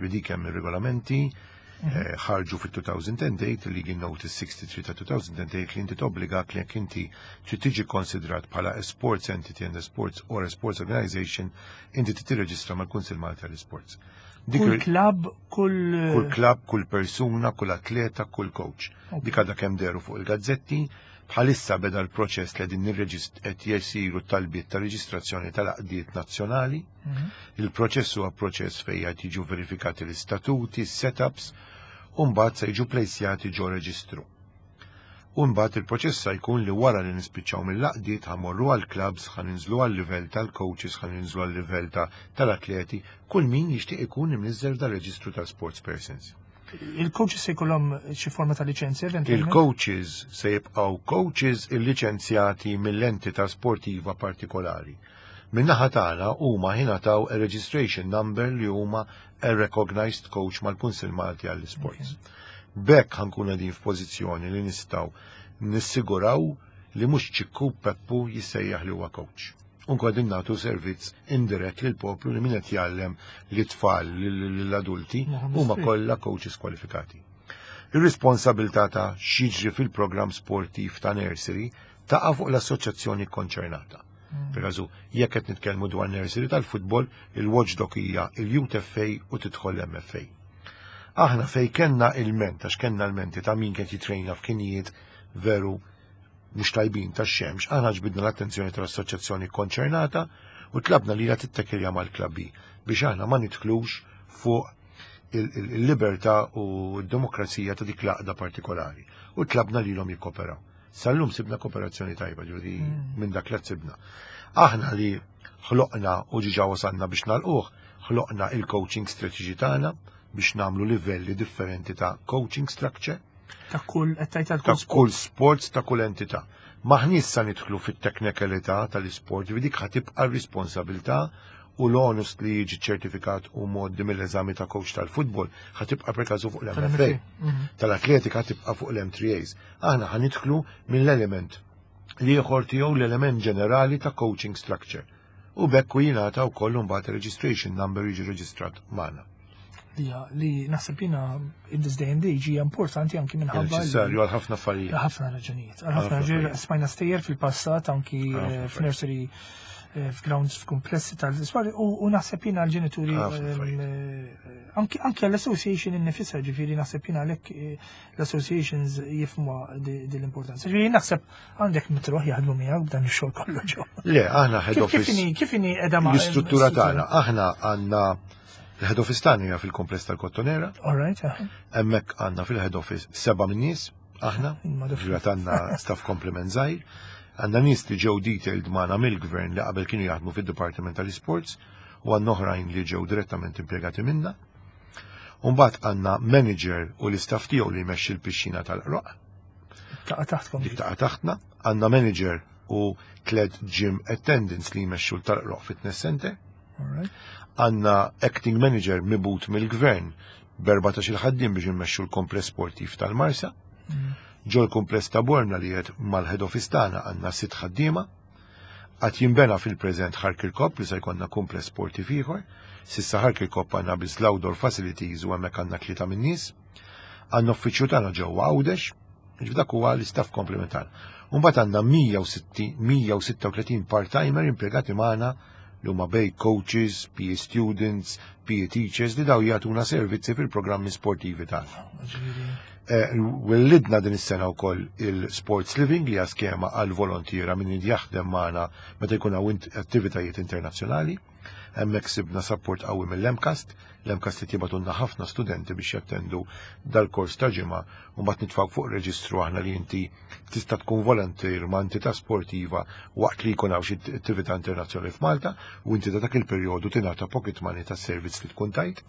Dik hemm ir-regolamenti mhm. eh, ħarġu fit-2008 il-Legal Notice 63 ta' 2008 li inti tobbligak li jekk inti trid tiġi konsidrat bħala a sports entity and a sports or a sports organization inti tirreġistra mal-Kunsill Malti għall-Sports. Kull klab, kull. Kull klab, kull persuna, kull atleta, kull coach. Dik għadha kemm deru fuq il-gazzetti, Bħalissa beda l-proċess li qegħdin qed jsiru talbiet ta' reġistrazzjoni tal-għaqdiet nazzjonali. Mhm. Il-proċess huwa proċess fejn qed jiġu verifikati l-istatuti, setups, u mbagħad se jiġu plejsjati ġo reġistru. U mbagħad il-proċess se jkun li wara li nispiċċaw mill-għaqdiet ħamorru għall-clubs, ħa ninżlu għal-livell tal-coaches, ħa ninżlu għal-livell tal-atleti, kull min jixtieq ikun imniżżel dal-reġistru tal-sports persons. Il-coaches se jkollhom xi forma ta' liċenzja eventualment? Il-coaches se jibqgħu coaches illiċenzjati mill-entità sportiva partikolari. Min-naħa tagħna huma jingħataw a registration number li huma a recognized coach mal-Kunsill Malti għall-Isports. B'hekk ħa nkunu qegħdin f'pożizzjoni li nistgħu nissiguraw li mhux Ċikku Peppu jissejjaħ li huwa coach. U nkun qegħdin nagħtu servizz indirett lill-poplu li min qed jgħallem lit-tfal lill-adulti huma kollha coaches kwalifikati. Ir-responsabilità ta' x'jiġri fil-programm sportiv ta' nursery taqa' fuq l-assoċjazzjoni konċernata. Hmm. Per jekk qed nitkellmu dwar nursery tal-futbol, il-watchdog hija il-Youth FA u tidħol l-MFA. Aħna fej kellna il-ment, għax kellna l-menti ta' min kien jitrejna f'kinijiet veru mhux tajbin tax-xemx, aħna ġbidna l-attenzjoni tal-assoċjazzjoni konċernata u tlabna lilha tittekilja mal-klabbi biex aħna ma nidħlux fuq il-libertà u d-demokrazija ta' dik l-għaqda partikolari u tlabna lilhom jikkoperaw. Sal-lum sibna kooperazzjoni tajba, ġifieri mm. minn dak li sibna. Aħna li ħloqna u ġiġa wasalna biex nalquh, ħloqna il-coaching strategy tagħna biex namlu livelli differenti ta' coaching structure Ta' kull ta' kull sports ta' kull entità. Maħni issa nidħlu fit-teknikalità tal-isport, dik ħatibqa' r-responsabilità u l-onus li jiġi ċertifikat u mgħoddi mill-eżami ta' coach tal-futbol ħa tibqa' per każu fuq l-MFA. Tal-atletika tibqa' fuq l-M3As. Aħna ħa nidħlu mill-element li ieħor tiegħu, l-element ġenerali ta' coaching structure. U bekk u jingħata wkoll imbagħad registration number, jiġi reġistrat magħna. Li naħseb jiena in this day and age hija importanti anki minħabba. Neċessarju għal ħafna affarijiet. Ħafna raġunijiet. Għal ħafna raġunijiet. Smajna stejjer fil-passat anki f'nursery, f'grounds, f'komplessi tal-iswar u naħseb jiena għal-ġenituri, anki għall-association innifisha, ġifieri naħseb jiena għalhekk l-associations jifhmu din l-importanza. Ġifieri naħseb għandek mitruħ jaħdmu miegħek b'dan ix-xogħol kollu ġo. Le, aħna head office. Kif inhi qiegħda ma' l-istruttura tagħna? Aħna għandna il-head office tagħna hija fil-kompless tal-Kottonera. All right. Hemmhekk għandna fil-head office seba' min nies aħna, ġifieri għandna staff complement żgħir. Għandna nies li ġew detailed magħna mill-gvern li qabel kienu jaħdmu fid-Dipartiment tal-Sports u għandna oħrajn li ġew direttament impjegati minna. Umbagħad għandna manager u l-istaff tiegħu li jmexxi l-pixxina tal-Qroqq. Taqa' taħtkom. Dik taqa' taħtna. Għandna manager u tliet gym attendants li jmexxu tal-Qroqq Fitness Center. Għandna acting manager mibgħut mill-gvern b'14 il-ħaddiem biex immexxu l-kompless sportiv tal-Marsa. Ġol kumpless ta' Bormla li qed mal-head office tagħna għandna sitt ħaddiema. Għad jinbena fil-preżent Ħal Kirkop li se jkollna kumpless sportiv ieħor. S'issa Ħal Kirkop għandna biss l-outdoor facilities u hemmhekk għandna tlieta min-nies. Għandna uffiċċju tagħna ġewwa Għawdex, ġifieri dak huwa l-istaff komplementar. Mbagħad għandna 136 part-timer impjegati magħna li huma bejn coaches, PE students, PE teachers li daw jagħtuna servizzi fil-programmi sportivi tagħna. Wellidna din is-sena wkoll il-Sports Living li hija skema għal volontiera min jaħdem magħna meta jkun hawn attivitajiet internazzjonali. Hemmhekk sibna support qawwi mill-MCAST. L-MCAST li jibagħtulna ħafna studenti biex jattendu dal-kors ta' ġimgħa u mbagħad nitfgħu fuq reġistru aħna li inti tista' tkun volontier ma' entità sportiva waqt li jkun hawn xi attività internazzjonali f'Malta u inti ta' dak il-perjodu tingħata pocket money tas-servizz li tkun tajt.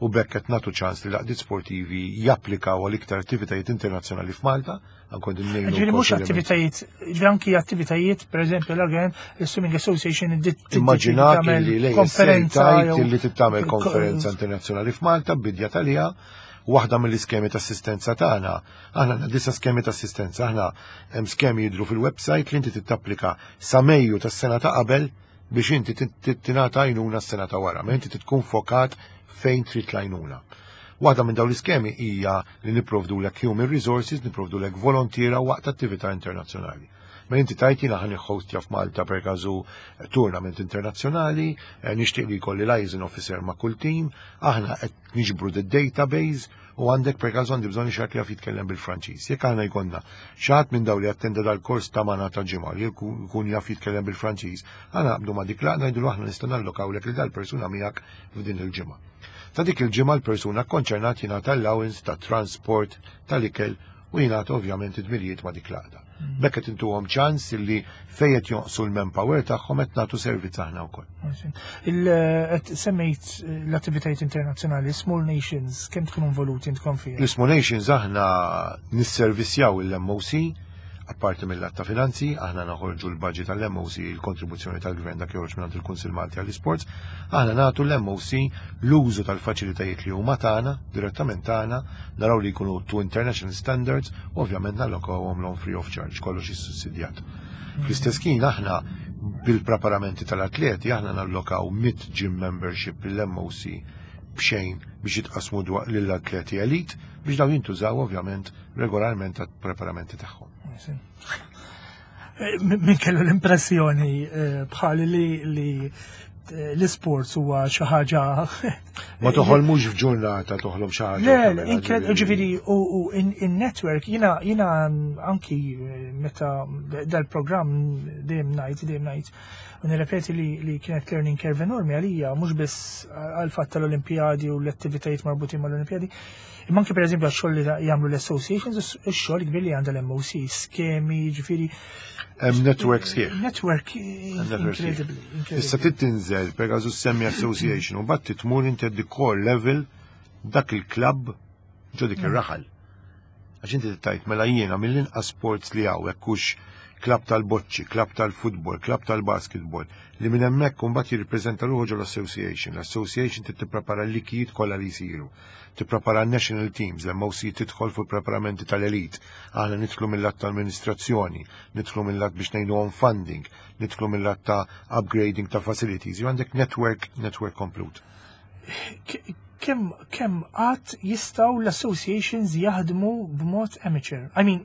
U bekk qed nagħtu ċans li l-għaqdiet sportivi japplikaw għal iktar attivitajiet internazzjonali f'Malta, anke din ngħinu Ġifieri mhux wkoll fil- attivitajiet, ġifieri anki attivitajiet, per eżempju, l-again, il-Swimming Association Immaġinak li lej konferenza tajt li tittamel konferenza internazzjonali f'Malta bidja talija, waħda mill-iskemi ta' assistenza tagħna. Aħna għandna disa skemi ta' assistenza, aħna hemm skemi jidru fil-website li inti tittapplika sa Mejju tas-sena ta' qabel biex inti tingħata għajnuna s-sena ta' wara, ma inti tkun fokat fejn trid l-għajnuna. Waħda minn dawn l-iskemi hija li nipprovdu lek human resources, nipprovdu lek volontiera waqt attività internazzjonali. Ma inti tajt jiena ħa nħostja f'Malta per każu tournament internazzjonali, nixtieq li jkolli liaison officer ma' kull team, aħna qed niġbru the database u għandek per każu għandi bżonn xi ħadd li jaf jitkellem bil-Franċiż. Jekk aħna jkollna xi ħadd minn dawn li attenda dal-kors ta' magħna ta' ġimgħa li jkun jaf jitkellem bil-Franċiż, aħna naqbdu ma' dik l-għaqda, ngħidulu aħna nistgħu nallokawlek li dal-persuna miegħek f'din il-ġimgħa. Ta' dik il-ġimgħa l-persuna konċernat jingħata allowance ta' transport, tal-ikel u jingħata ovvjament id-dmirijiet ma' dik l-għaqda. Bekk qed intuhom ċans li fejn qed jonqsu l-manpower tagħhom qed nagħtu servizz aħna wkoll. Qed semmejt l-attivitajiet internazzjonali, Small Nations, kemm tkunu involuti intkom fiha? L-Small Nations aħna nisservissjaw il-MOC, apparti mill-att ta' finanzi, aħna naħorġu l-budget tal-MOC, il-kontribuzzjoni tal-gvern dak joħroġ minn il-Kunsill Malti għall-Isports, aħna nagħtu l-MOC l-użu tal-faċilitajiet li huma tagħna, direttament tagħna, naraw li jkunu to international standards, u ovvjament nallokawhom l free of charge, kollox issussidjat. Fl-istess kien aħna bil-preparamenti tal-atleti aħna nallokaw 100 gym membership lill-MOC b'xejn biex jitqasmu lill-atleti elite biex dawn jintużaw ovvjament regolarment għat-preparamenti tagħhom. Min kellu l-impressjoni bħali li l-sports huwa xi ħaġa Ma toħolmux f'ġurnata toħlom xi ħaġa. Le, tagħmel ġifieri u in-network jiena anki meta dal-programm dejjem ngħid u nirrepeti li kienet learning curve enormi għalija, mhux biss għal fatt tal-Olimpijadi u l-attivitajiet marbutin mal-Olimpijadi, imma anki per eżempju għax-xogħol li jagħmlu l-associations, ix-xogħol kbir li għandha l-MOC, skemi, ġifieri. Hemm network sħiħ. Network Network sħiħ. incredibly. Issa Incredibly. Tinżel per każu semmi association u mbagħad titmur inti the core level dak il-klabb ġo dik ir-raħal. Għax inti tgħid mela jiena mill-inqas sports li hawn hekk hux. Klabb tal-boċċi, klabb tal-futbol, klabb tal-basketball, li minn hemmhekk imbagħad jirrippreżenta ruħu ġol-association. L-association trid tipprepara l-likijiet kollha li jsiru. Tipprepara national teams, l-MOC tidħol fuq preparamenti tal-elite. Aħna nidħlu mill-lat ta' amministrazzjoni, nidħlu mill-lat biex ngħinuhom funding, nidħlu mill-lat ta' upgrading ta' facilities. Ju għandek network komplut. Kemm qatt jistgħu l-associations jaħdmu b'mod amateur? I mean,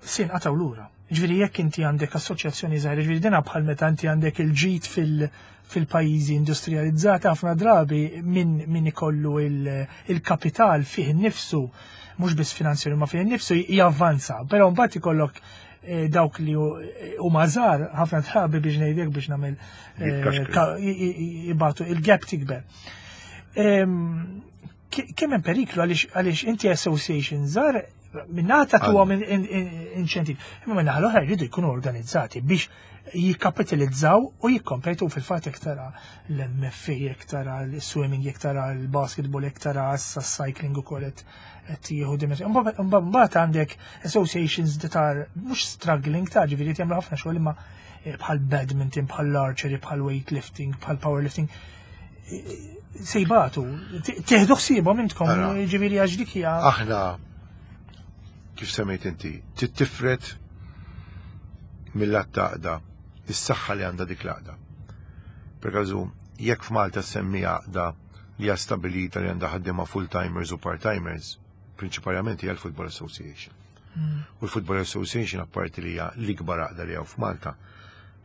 sin qataw lura. Ġifieri jekk inti għandek assoċjazzjoni żgħira, ġifieri dina bħal meta inti għandek il-ġid fil-pajjiżi industrializzati ħafna drabi min ikollu il-kapital fih innifsu, mhux biss finanzjarju ma fih innifsu javvanza, però mbagħad ikollok dawk li huma żgħar ħafna drabi biex ngħidlek biex nagħmel jibatu il-gap tikber. Kemm hemm periklu għaliex inti association żgħar minnata tuhom inċentiv. Imma minnaħa l-oħra jridu jkunu organizzati biex jikkapitalizzaw u jikkompetu fil-fatt jekk tara l-MFA, jekk tara l-swimming, jekk tara l-basketball, jekk tara s-cycling ukoll qed jieħu dimensjoni. Mbagħad għandek associations that are mhux struggling ta' ġifieri jagħmlu ħafna xogħol imma bħal badminton, bħal archery, bħal weightlifting, bħal powerlifting. Sejbatu, teħdu ħsiebhom intkom, ġifieri għax dik hija. Aħna kif semmejt inti, tifred mill-lat taqda is-saħħa li għandha dik l-għaqda. Per każu, jekk f'Malta semmi għaqda li hija stabilita li għandha ħaddiema full-timers u part-timers, prinċipalment hija l-Football Association. U l-Football Association apparti li hija l-ikbar għaqda li hawn f'Malta,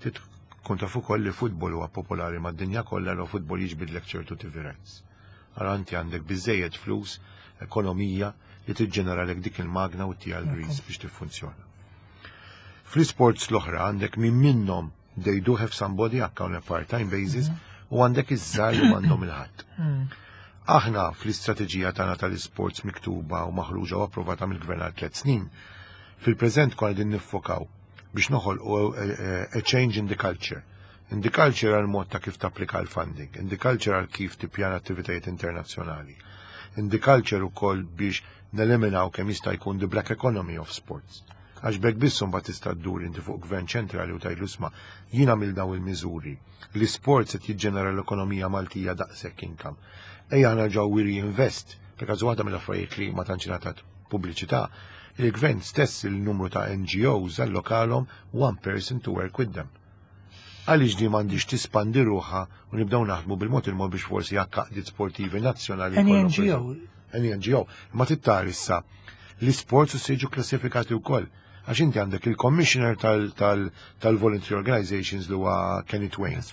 tkun taf ukoll li futbol huwa popolari mad-dinja kollha l futbol jiġbidlek ċertu TV rights. Allora inti għandek biżejjed flus, ekonomija li tiġġeneralek dik il-magna u tija l-grease biex tiffunzjona. Fl-sports l-oħra għandek min minnhom they do have somebody on a part-time basis u għandek iż-żgħar li m'għandhom il-ħadd. Aħna fl-istrateġija tagħna tal-isports miktuba u maħruġa u approvata mill-gvern għal 3 snin, fil-preżent konna din niffokaw biex noħolqu a change in the culture. In the culture għal mod ta' kif tapplika l-funding, in the culture għal kif tippjana attivitajiet internazzjonali, in the culture ukoll biex neliminaw kemm jista' jkun the black economy of sports. Għax b'hekk biss mbagħad tista' ddur inti fuq gvern ċentrali u tgħidlu isma' jiena mill daw il-miżuri. L-isport se jiġġenera l-ekonomija Maltija daqshekk income. Ejja nerġgħu we reinvest, perkaż waħda mill-affarijiet li ma tantx ingħatat pubbliċità, il-gvern stess il-numru ta' NGOs allokalhom one person to work with them. Għaliex di m'għandix tispandi ruħha u nibdew naħdmu bil-mod il-mod biex forsi għaqdiet sportivi nazzjonali. Any NGO. Any NGO. Ma tittar issa l-sports u siġu klassifikati wkoll. Għax inti għandek il-commissioner tal-voluntary organizations li huwa Kenneth Wayne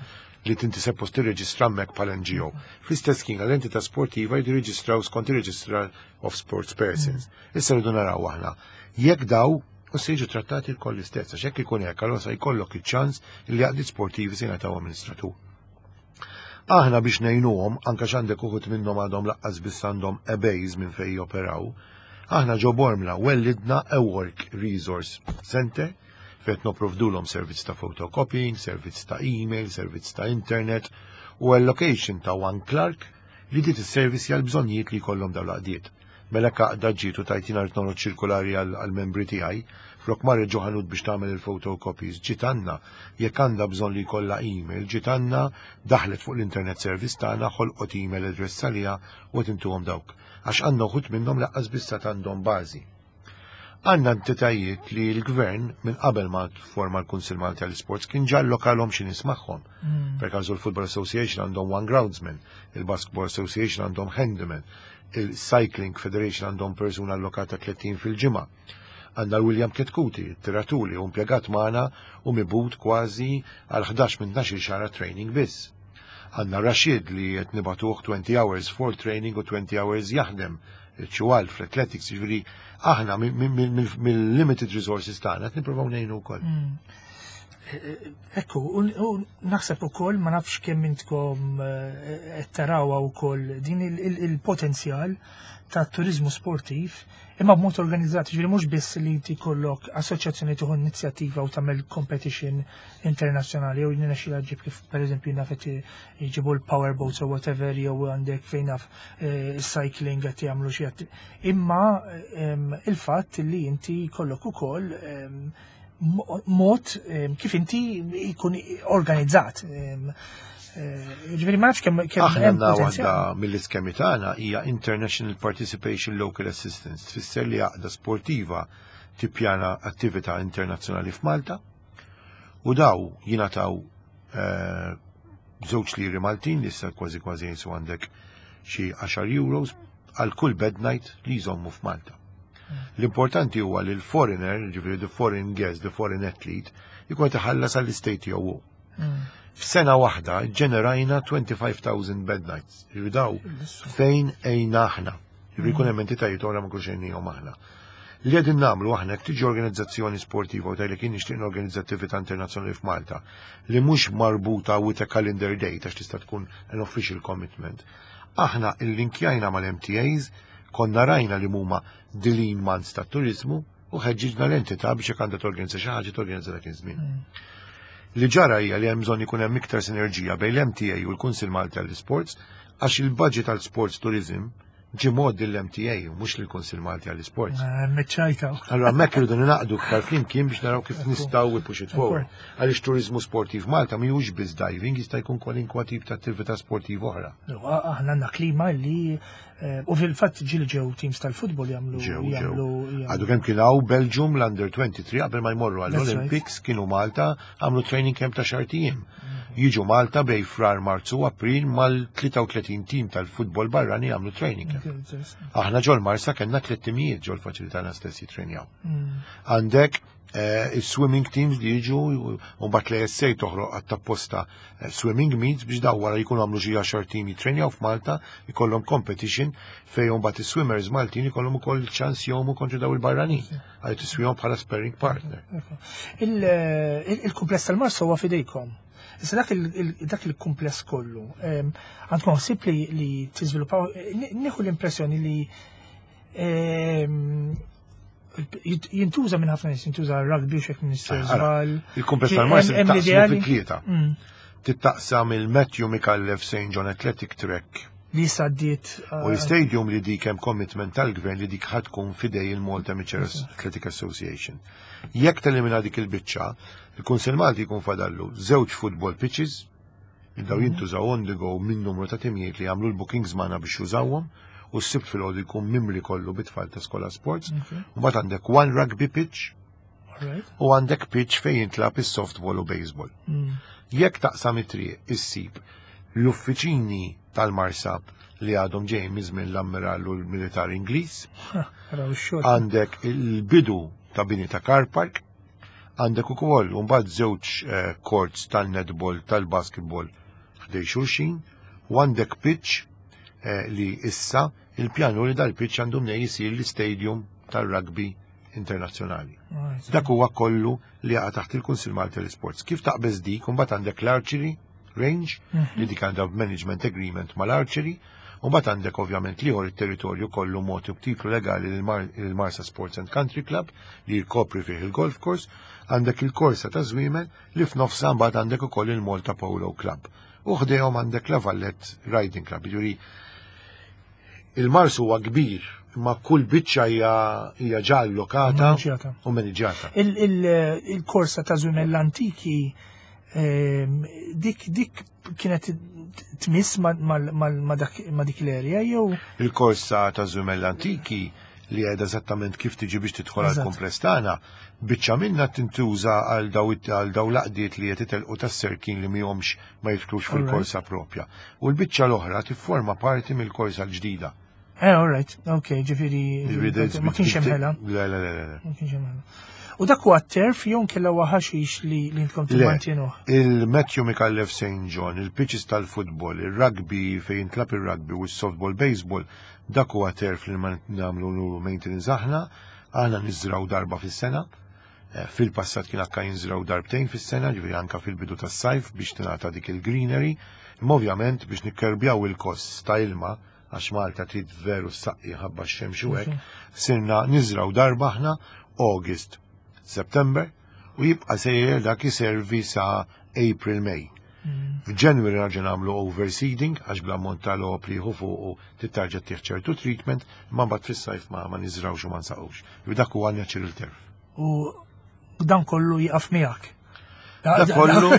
li tinti suppost tirreġistra hemmhekk bħal NGO. Fl-istess kien għall-entità sportiva jridu jirreġistraw skont ir-Register of Sports Persons. Issa rridu naraw aħna. Jekk daw u se jiġu trattati l-koll l-istess, għax jekk ikun hekk, allura se jkollok iċ-ċans li għaqdiet sportivi se jingħataw amministratur. Aħna biex ngħinuhom, anke x'għandek uħud minnhom għadhom lanqas biss għandhom a base minn fejn joperaw, aħna ġo Bormla wellidna a work resource center fejn nipprovdulhom servizz ta' photocopying, servizz ta' email, servizz ta' internet u allocation ta' one clerk li dit is-servizz għal bżonnijiet li jkollhom dawn l-għaqdiet. Mela għaqda ġiet u tajtina rrid noħroġ ċirkulari għal-membri tiegħi, flok marret ġo ħanut biex tagħmel il-photocopies, ġiet għandna, jekk għandha bżonn li jkollha email, ġiet għandna daħlet fuq l-internet service tagħna, ħolqot email address għaliha u qed intuhom dawk. Għax għandna uħud minnhom lanqas biss għandhom bażi. Għandna entitajiet li l-gvern minn qabel ma forma l-Kunsil Malti għall-Sports kien ġa allokalhom xi nies magħhom. Per każu l-Football Association għandhom one groundsman, il-Basketball Association għandhom handyman, il-Cycling Federation għandhom persuna allokata 30 fil-ġimgħa. Għandna l-William Chetcuti, tiratuli, u impjegat magħna u mibgħut kważi għal 11 minn 12 xahar training biss. Għandna Rashid li qed nibagħtuh 20 hours for training u 20 hours jaħdem ċuwal fl-athletics, ġifieri aħna mill-limited resources tagħna qed nippruvaw ngħinu wkoll. Ekku, u naħseb ukoll ma nafx kemm intkom qed tarawha wkoll din il-potenzjal ta' turizmu sportiv imma b'mod organizzat, ġifieri mhux biss li inti jkollok assoċjazzjoni tieħu inizjattiva u tagħmel competition internazzjonali jew jiena xi ġib kif pereżempju naf qed jġibu l-powerboats or whatever jew għandek fejn naf cycling qed jagħmlu xi imma il-fatt li inti jkollok ukoll mod kif inti jkun organizzat. Ġifieri ma nafx kemm kemm Aħna għandna waħda mill-iskemi tagħna hija International Participation Local Assistance, tfisser li għaqda sportiva tippjana attività internazzjonali f'Malta u daw jingħataw 2 liri Maltin li issa kważi kważi jisu għandek xi 10 euros għal kull bed night li jżommu f'Malta. L-importanti huwa li l-foreigner, ġifieri the foreign guest, the foreign athlete, jkun iħallas għall-istay tiegħu. F'sena waħda ġenerajna 25,000 bed nights. Ġifieri daw fejn ejna aħna. Ġifieri jkun hemm entitajiet oħra ma nkunx għejnihom aħna. Li qegħdin nagħmlu aħna jekk tiġi organizzazzjoni sportiva u tgħidlek jien nixtieq norganizza attività internazzjonali f'Malta li mhux marbuta with a calendar date għax tista' tkun an official commitment. Aħna illinkjajna mal-MTAs, konna rajna li huma the lean months ta' turizmu u ħeġġiġna l-entità biex jekk għandha torganizza xi ħaġa torganizza dak iż-żmien. Li ġara hija li hemm bżonn ikun hemm iktar sinerġija bejn l-MTA u l-Kunsil Malti għall-Sports għax il-budget għall-sports tourism ġie mgħoddi l-MTA u mhux lill-Kunsil Malti għall-Sports. Meċċajta. Allora hemmhekk irridu ninaqdu iktar flimkien biex naraw kif nistgħu we push it forward. Għaliex turizmu sportiv Malta mhijiex biss diving, jista' jkun kwalinkwa tip ta' attività sportiva oħra. Aħna għandna klima li u fil-fatt ġieli ġew teams tal-futbol jagħmlu Ġew, ġew. Għadu kemm kien hawn Belgium l-Under 23 qabel ma jmorru għall-Olympics kienu Malta għamlu training camp ta' xahar ijiem. Jiġu Malta bejn Frar, Marzu u April mal-33 team tal-futbol barrani għamlu training camp. Aħna ġol Marsa kellna tliet timijiet ġol faċilità stess jitrenjaw. Għandek il-swimming teams li jiġu u mbagħad l-ASA toħroq għat-tapposta swimming meets biex daw wara jkunu għamlu xi 10 team jitrenjaw f'Malta, jkollhom competition fejn mbagħad is-swimmers Maltin jkollhom ukoll ċans jgħumu kontra daw il-barranin għal tiswihom bħala sparring partner. Il-kumpless tal-Marsa huwa fidejkom. Issa dak il-kumpless kollu, għandkom ħsieb li tiżviluppaw, nieħu l-impressjoni li jintuża minn ħafna nies, jintuża rugby u xek Minister Żball. Il-kumpless tal-Marsa taqsmu fi tlieta. Tittaqsam il-Matthew Micallef St. John Athletic Track Li saddiet. U l-stadium li dik hemm commitment tal-gvern li dik ħa tkun fidej il-Malta Amateur Athletic Association. Jekk telimina dik il-biċċa, il-Kunsil Malti jkun fadallu żewġ football pitches, li daw jintużaw on the go minn numru ta' timijiet li jagħmlu l-bookings magħna biex jużawhom u s-Sibt filgħodu jkun mimli kollu bit-tfal ta' skola sports. U mbagħad għandek one rugby pitch u għandek pitch fejn jintlab is-softball u baseball. Jekk taqsam it-triq issib l-uffiċini tal-Marsa li għadhom ġejjin minn żmien l-ammiral u l-militar Ingliż, għandek il-bidu ta' bini ta' car park, għandek ukoll mbagħad żewġ courts tal-netball, tal-basketball ħdej xulxin, u għandek pitch li issa il-pjanu li dal-pitch għandu mnej jisir l-stadium tal-rugby internazzjonali. Dak huwa kollu li jaqa' taħt il-Kunsil Malti l-Sports. Kif taqbeż dik, mbagħad għandek l-archery range li dik għandha management agreement mal-archery, u mbagħad għandek ovvjament liħor it-territorju kollu mogħti b'titlu legali lil-Marsa Sports and Country Club li jkopri fih il-golf course, għandek il-korsa ta' żwiemel li f'nofsa mbagħad għandek ukoll il-Malta Polo Club. U ħdejhom għandek La Valette Riding Club. Jiġifieri il-Marsa huwa kbir, imma kull biċċa hija ġa allokata Maniġjata. u maniġjata. Il-korsa ta' żwiemel l-antiki dik kienet tmiss ma' dik l-area jew Il-korsa ta' żwiemel l-antiki li għedha eżattament kif tiġi biex tidħol għal kumpless tagħna, biċċa minna tintuża għal daw l-għaqdiet li qed itelqu tas-serkin li mihomx ma jidħlux fil-korsa propja. U l-biċċa l-oħra tifforma parti mill-korsa l-ġdida. All right, ok, ġifieri ma kienx hemm ħela. Le, le, le, le. Ma kienx hemm ħela. U dak huwa turf jew kella huwa ħaxix li intkom Le, timmantjenuh? Il-Matthew Micallef St. John, il-pitches tal-futbol, il-rugby fejn jintlab il-rugby u s-softball baseball, dak huwa turf li ma nagħmlu nuru maintenance aħna, aħna niżraw darba fis-sena. Fil-passat kien akka jinżraw darbtejn fis-sena, ġifieri anka fil-bidu tas-sajf biex tingħata dik il-greenery. Imma ovvjament biex nikkerbjaw il-kost ta' ilma, għax Malta trid veru saqqi ħabba x-xemx u hekk, sirna niżraw darba aħna August, September u jibqa' sejjer dak iservi sa April, May. F'January nerġa' nagħmlu overseeding għax bl-ammont ta' logħob li jieħu fuqu tittarġa' tieħ ċertu treatment, imma mbagħad fis-sajf ma niżrawx u ma nsaqux. Dak huwa natural turf. U Dan kollu jaqaf miegħek. Dak kollu,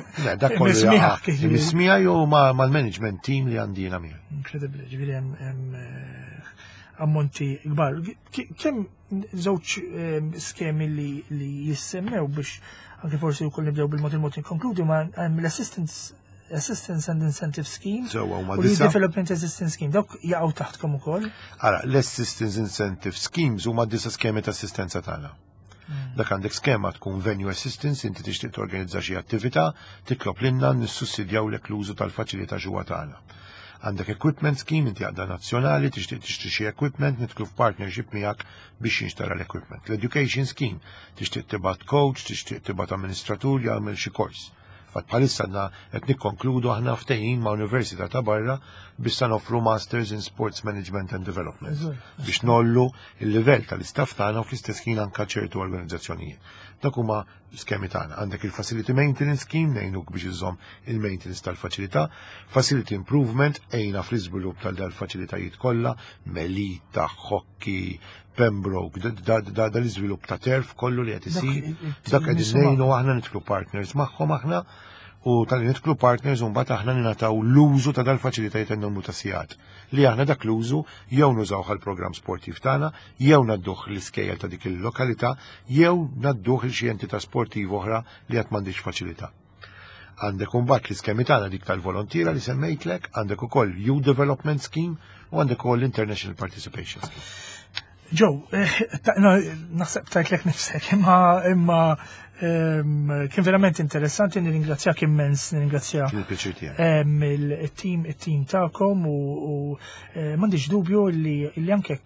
dak kollu jaqaf. Mismija jew mal-management team li għandi jiena miegħi. Inkredibbli, ġifieri hemm eh, ammonti kbar. Kemm żewġ eh, skemi li jissemmew biex anke forsi wkoll nibdew bil-mod il-mod inkonkludi ma hemm l-assistance Assistance and Incentive Scheme u Development Assistance Scheme, dawk jaqgħu taħtkom ukoll. Ara, l-Assistance Incentive Schemes huma disa skemi ta' assistenza tagħna. Dak għandek skema tkun venue assistance, inti tixtieq torganizza xi attività, titlob lilna nissussidjawlek l-użu tal-faċilità ġewwa tagħna. Għandek equipment scheme, inti għaqda nazzjonali, tixtieq tixtri xi equipment, nidħlu f'partnership miegħek biex jinxtara l-equipment. L-education scheme, tixtieq tibgħat coach, tixtieq tibgħat amministratur jagħmel xi kors. Fatt bħalissa għandna qed nikkonkludu aħna ftehim ma' Università ta' barra biex sa noffru Masters in Sports Management and Development biex nollu il-livell tal-istaff tagħna u fl-istess ħin anka ċertu organizzazzjonijiet. Dak huma skemi tagħna. Għandek il-Facility Maintenance Scheme ngħinuk biex iżomm il-maintenance tal-faċilità, Facility Improvement għejna fl-iżvilupp tal-faċilitajiet kollha, Melita, Hockey, Pembroke, da l-iżvilupp ta' turf kollu li qed isir, dak qed ngħinu aħna nidħlu partners magħhom aħna u tal nidħlu partners u mbagħad aħna ningħataw l-użu ta' dal-faċilitajiet n-numru ta' sigħat li aħna dak l-użu jew nużaw għall-programm sportiv tagħna, jew nadduh l-iskejjel ta' dik il-lokalità, jew nadduh il xi entità sportiv oħra li qatt m'għandix faċilità. Għandek imbagħad l-iskemi tagħna dik tal-volontiera li semmejtlek, għandek ukoll Youth Development Scheme u għandek ukoll International Participation Scheme. Joe, eh, naħseb tajtlek nifsek, imma imma kien verament interessanti, nirringrazzjak immens, nirringrazzja il-team il-team tagħkom u eh, m'għandix dubju li anke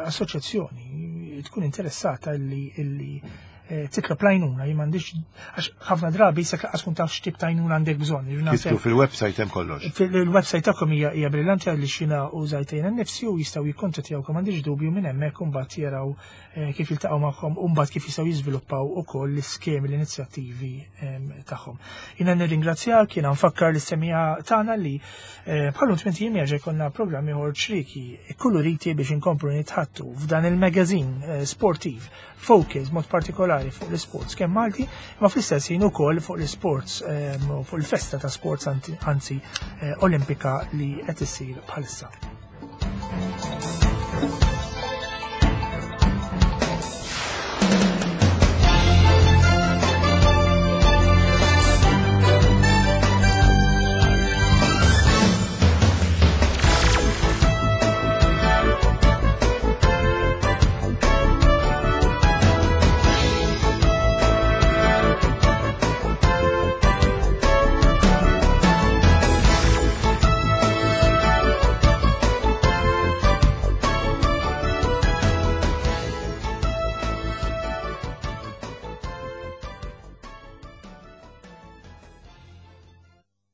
assoċjazzjoni tkun interessata li Eh, titlob l-għajnuna, jien m'għandix għax ħafna drabi se laqas tkun taf x'tip ta' għajnuna għandek bżonn. Titlu fil-website hemm kollox. Il-website tagħkom hija hija brillanti għalli xina użajtejna nnifsi u jistgħu jikkontattjawkom m'għandix dubju minn hemmhekk u mbagħad jaraw eh, kif jiltaqgħu magħhom u mbagħad kif jistgħu jiżviluppaw ukoll l-iskemi l-inizjattivi ehm, tagħhom. Jiena nirringrazzjak, jiena nfakkar l-issemija tagħna li eh, bħallu tmien jiem jerġa' jkollna programm ieħor ċriki kuluriti biex inkomplu nitħattu f'dan il-magazine sportiv focus mod partikolari fuq l-sports kemm Malti, imma fl-istess ħin ukoll fuq l-sports ehm, fuq il-festa ta' sports anzi eh, Olimpika li qed issir bħalissa.